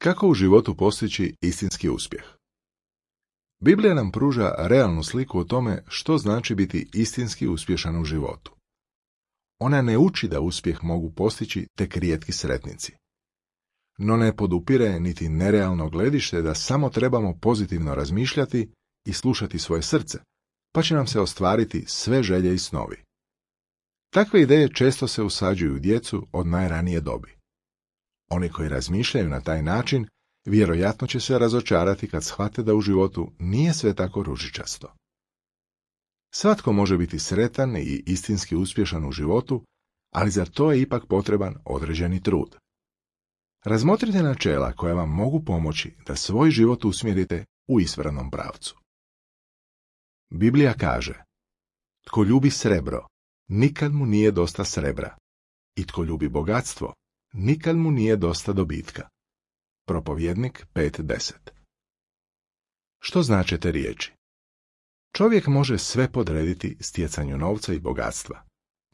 Kako u životu postići istinski uspjeh? Biblija nam pruža realnu sliku o tome što znači biti istinski uspješan u životu. Ona ne uči da uspjeh mogu postići tek rijetki sretnici. No ne podupire niti nerealno gledište da samo trebamo pozitivno razmišljati i slušati svoje srce, pa će nam se ostvariti sve želje i snovi. Takve ideje često se usađuju u djecu od najranije dobi. Oni koji razmišljaju na taj način vjerojatno će se razočarati kad shvate da u životu nije sve tako ružičasto. Svatko može biti sretan i istinski uspješan u životu, ali za to je ipak potreban određeni trud. Razmotrite načela koja vam mogu pomoći da svoj život usmjerite u ispravnom pravcu. Biblija kaže: tko ljubi srebro, nikad mu nije dosta srebra, i tko ljubi bogatstvo, nikad mu nije dosta dobitka. Propovjednik 5.10. Što znače te riječi? Čovjek može sve podrediti stjecanju novca i bogatstva,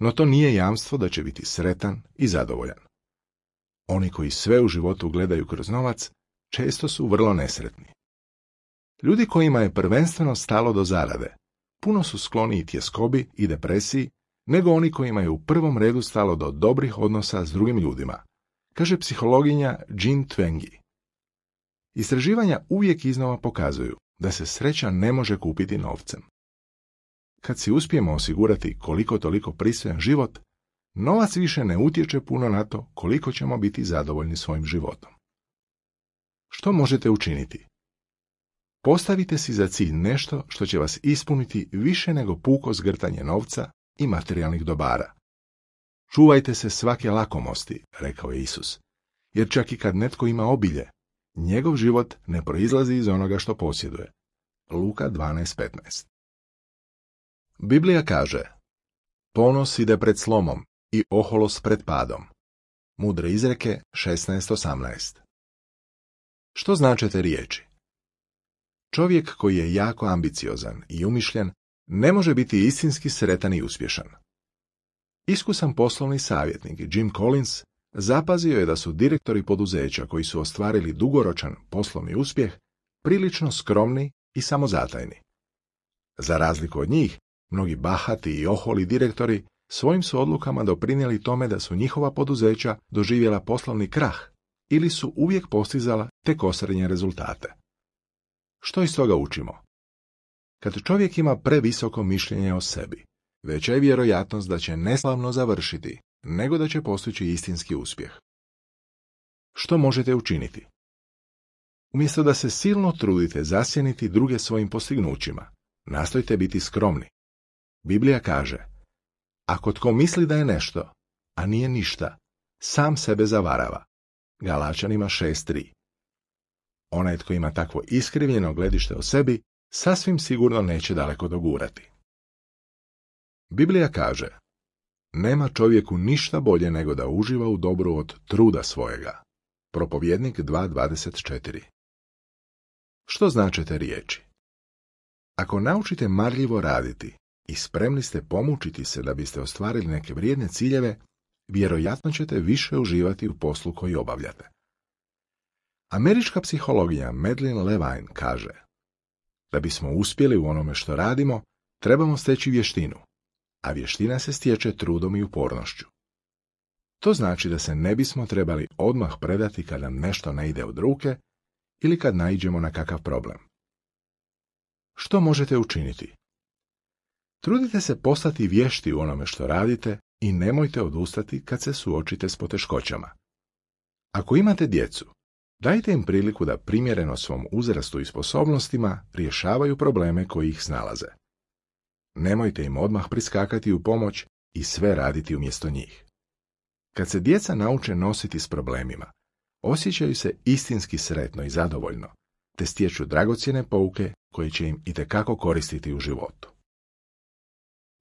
no to nije jamstvo da će biti sretan i zadovoljan. Oni koji sve u životu gledaju kroz novac, često su vrlo nesretni. Ljudi kojima je prvenstveno stalo do zarade, puno su skloniji tjeskobi i depresiji, nego oni kojima je u prvom redu stalo do dobrih odnosa s drugim ljudima, kaže psihologinja Jean Twenge. Istraživanja uvijek iznova pokazuju da se sreća ne može kupiti novcem. Kad si uspijemo osigurati koliko toliko pristojan život, novac više ne utječe puno na to koliko ćemo biti zadovoljni svojim životom. Što možete učiniti? Postavite si za cilj nešto što će vas ispuniti više nego puko zgrtanje novca i materijalnih dobara. Čuvajte se svake lakomosti, rekao je Isus, jer čak i kad netko ima obilje, njegov život ne proizlazi iz onoga što posjeduje. Luka 12.15. Biblija kaže: ponos ide pred slomom i oholost pred padom. Mudre izreke 16.18. Što znače te riječi? Čovjek koji je jako ambiciozan i umišljen ne može biti istinski sretan i uspješan. Iskusan poslovni savjetnik Jim Collins zapazio je da su direktori poduzeća koji su ostvarili dugoročan poslovni uspjeh prilično skromni i samozatajni. Za razliku od njih, mnogi bahati i oholi direktori svojim su odlukama doprinijeli tome da su njihova poduzeća doživjela poslovni krah ili su uvijek postizala tek osrednje rezultate. Što iz toga učimo? Kad čovjek ima previsoko mišljenje o sebi, veća je vjerojatnost da će neslavno završiti nego da će postići istinski uspjeh. Što možete učiniti? Umjesto da se silno trudite zasjeniti druge svojim postignućima, nastojte biti skromni. Biblija kaže: ako tko misli da je nešto, a nije ništa, sam sebe zavarava. Galačanima 6.3. Onaj tko ima takvo iskrivljeno gledište o sebi, sasvim sigurno neće daleko dogurati. Biblija kaže: nema čovjeku ništa bolje nego da uživa u dobru od truda svojega. Propovjednik 2.24. Što znače te riječi? Ako naučite marljivo raditi i spremni ste pomučiti se da biste ostvarili neke vrijedne ciljeve, vjerojatno ćete više uživati u poslu koji obavljate. Američka psihologija Madeline Levine kaže: da bismo uspjeli u onome što radimo, trebamo steći vještinu, a vještina se stječe trudom i upornošću. To znači da se ne bismo trebali odmah predati kad nam nešto ne ide od ruke ili kad naiđemo na kakav problem. Što možete učiniti? Trudite se postati vješti u onome što radite i nemojte odustati kad se suočite s poteškoćama. Ako imate djecu, dajte im priliku da primjereno svom uzrastu i sposobnostima rješavaju probleme koji ih snalaze. Nemojte im odmah priskakati u pomoć i sve raditi umjesto njih. Kad se djeca nauče nositi s problemima, osjećaju se istinski sretno i zadovoljno, te stječu dragocjene pouke koje će im itekako koristiti u životu.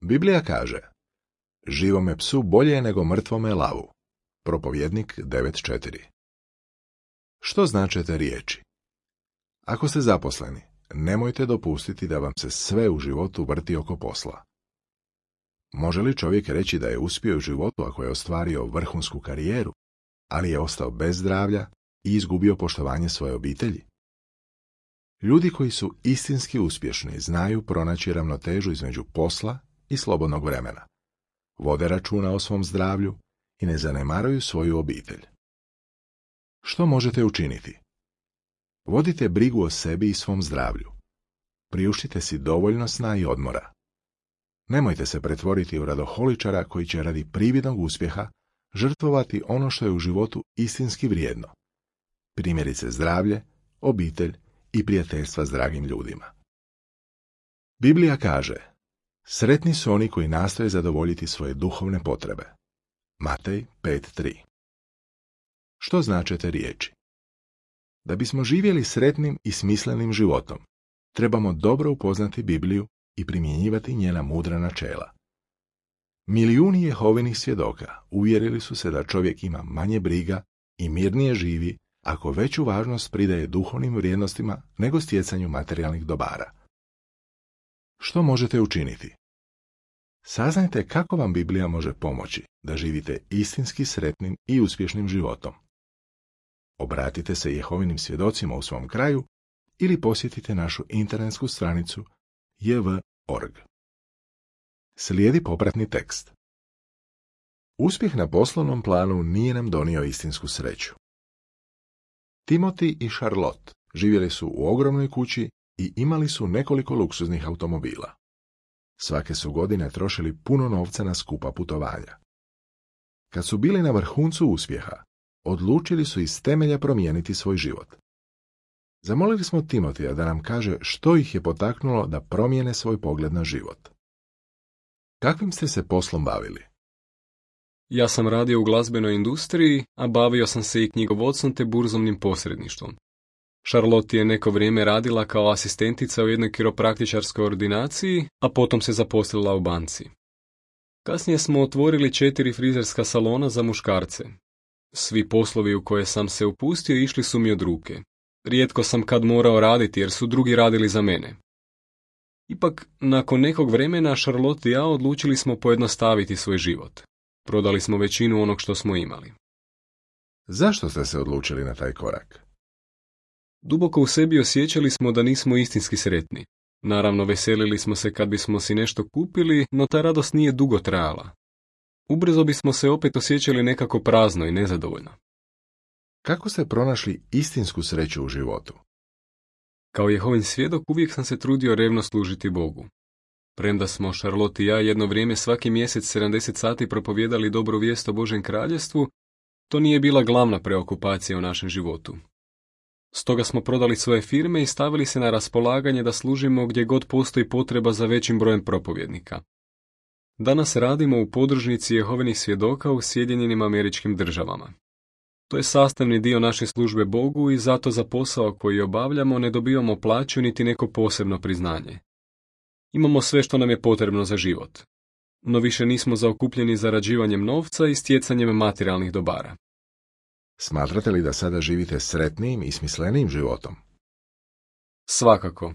Biblija kaže: živome psu bolje je nego mrtvome lavu. Propovjednik 9.4. Što znače te riječi? Ako ste zaposleni, nemojte dopustiti da vam se sve u životu vrti oko posla. Može li čovjek reći da je uspio u životu ako je ostvario vrhunsku karijeru, ali je ostao bez zdravlja i izgubio poštovanje svoje obitelji? Ljudi koji su istinski uspješni znaju pronaći ravnotežu između posla i slobodnog vremena. Vode računa o svom zdravlju i ne zanemaruju svoju obitelj. Što možete učiniti? Vodite brigu o sebi i svom zdravlju. Priuštite si dovoljno sna i odmora. Nemojte se pretvoriti u radoholičara koji će radi prividnog uspjeha žrtvovati ono što je u životu istinski vrijedno. Primjerice zdravlje, obitelj i prijateljstva s dragim ljudima. Biblija kaže: sretni su oni koji nastoje zadovoljiti svoje duhovne potrebe. Matej 5.3. Što znače te riječi? Da bismo živjeli sretnim i smislenim životom, trebamo dobro upoznati Bibliju i primjenjivati njena mudra načela. Milijuni Jehovinih svjedoka uvjerili su se da čovjek ima manje briga i mirnije živi ako veću važnost pridaje duhovnim vrijednostima nego stjecanju materijalnih dobara. Što možete učiniti? Saznajte kako vam Biblija može pomoći da živite istinski sretnim i uspješnim životom. Obratite se Jehovinim svjedocima u svom kraju ili posjetite našu internetsku stranicu jv.org. Slijedi popratni tekst. Uspjeh na poslovnom planu nije nam donio istinsku sreću. Timoti i Charlotte živjeli su u ogromnoj kući i imali su nekoliko luksuznih automobila. Svake su godine trošili puno novca na skupa putovanja. Kad su bili na vrhuncu uspjeha, odlučili su iz temelja promijeniti svoj život. Zamolili smo Timotija da nam kaže što ih je potaknulo da promijene svoj pogled na život. Kakvim ste se poslom bavili? Ja sam radio u glazbenoj industriji, a bavio sam se i knjigovodstvom te burzovnim posredništvom. Charlotte je neko vrijeme radila kao asistentica u jednoj kiropraktičarskoj ordinaciji, a potom se zaposlila u banci. Kasnije smo otvorili 4 frizerska salona za muškarce. Svi poslovi u koje sam se upustio išli su mi od ruke. Rijetko sam kad morao raditi jer su drugi radili za mene. Ipak, nakon nekog vremena Charlotte i ja odlučili smo pojednostaviti svoj život. Prodali smo većinu onog što smo imali. Zašto ste se odlučili na taj korak? Duboko u sebi osjećali smo da nismo istinski sretni. Naravno, veselili smo se kad bismo si nešto kupili, no ta radost nije dugo trajala. Ubrzo bismo se opet osjećali nekako prazno i nezadovoljno. Kako ste pronašli istinsku sreću u životu? Kao Jehovin svjedok uvijek sam se trudio revno služiti Bogu. Premda smo Charlotte i ja jedno vrijeme svaki mjesec 70 sati propovijedali dobru vijest o Božjem kraljevstvu, to nije bila glavna preokupacija u našem životu. Stoga smo prodali svoje firme i stavili se na raspolaganje da služimo gdje god postoji potreba za većim brojem propovjednika. Danas radimo u podružnici Jehovinih svjedoka u Sjedinjenim Američkim Državama. To je sastavni dio naše službe Bogu i zato za posao koji obavljamo ne dobivamo plaću niti neko posebno priznanje. Imamo sve što nam je potrebno za život, no više nismo zaokupljeni zarađivanjem novca i stjecanjem materijalnih dobara. Smatrate li da sada živite sretnijim i smislenijim životom? Svakako.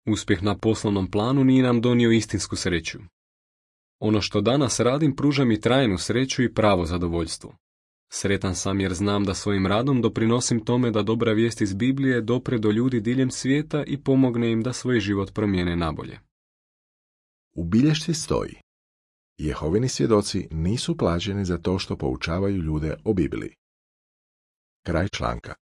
Uspjeh na poslovnom planu nije nam donio istinsku sreću. Ono što danas radim pruža mi trajnu sreću i pravo zadovoljstvo. Sretan sam jer znam da svojim radom doprinosim tome da dobra vijest iz Biblije dopre do ljudi diljem svijeta i pomogne im da svoj život promijene nabolje. U bilješci stoji: Jehovini svjedoci nisu plaćeni za to što poučavaju ljude o Bibliji. Kraj članka.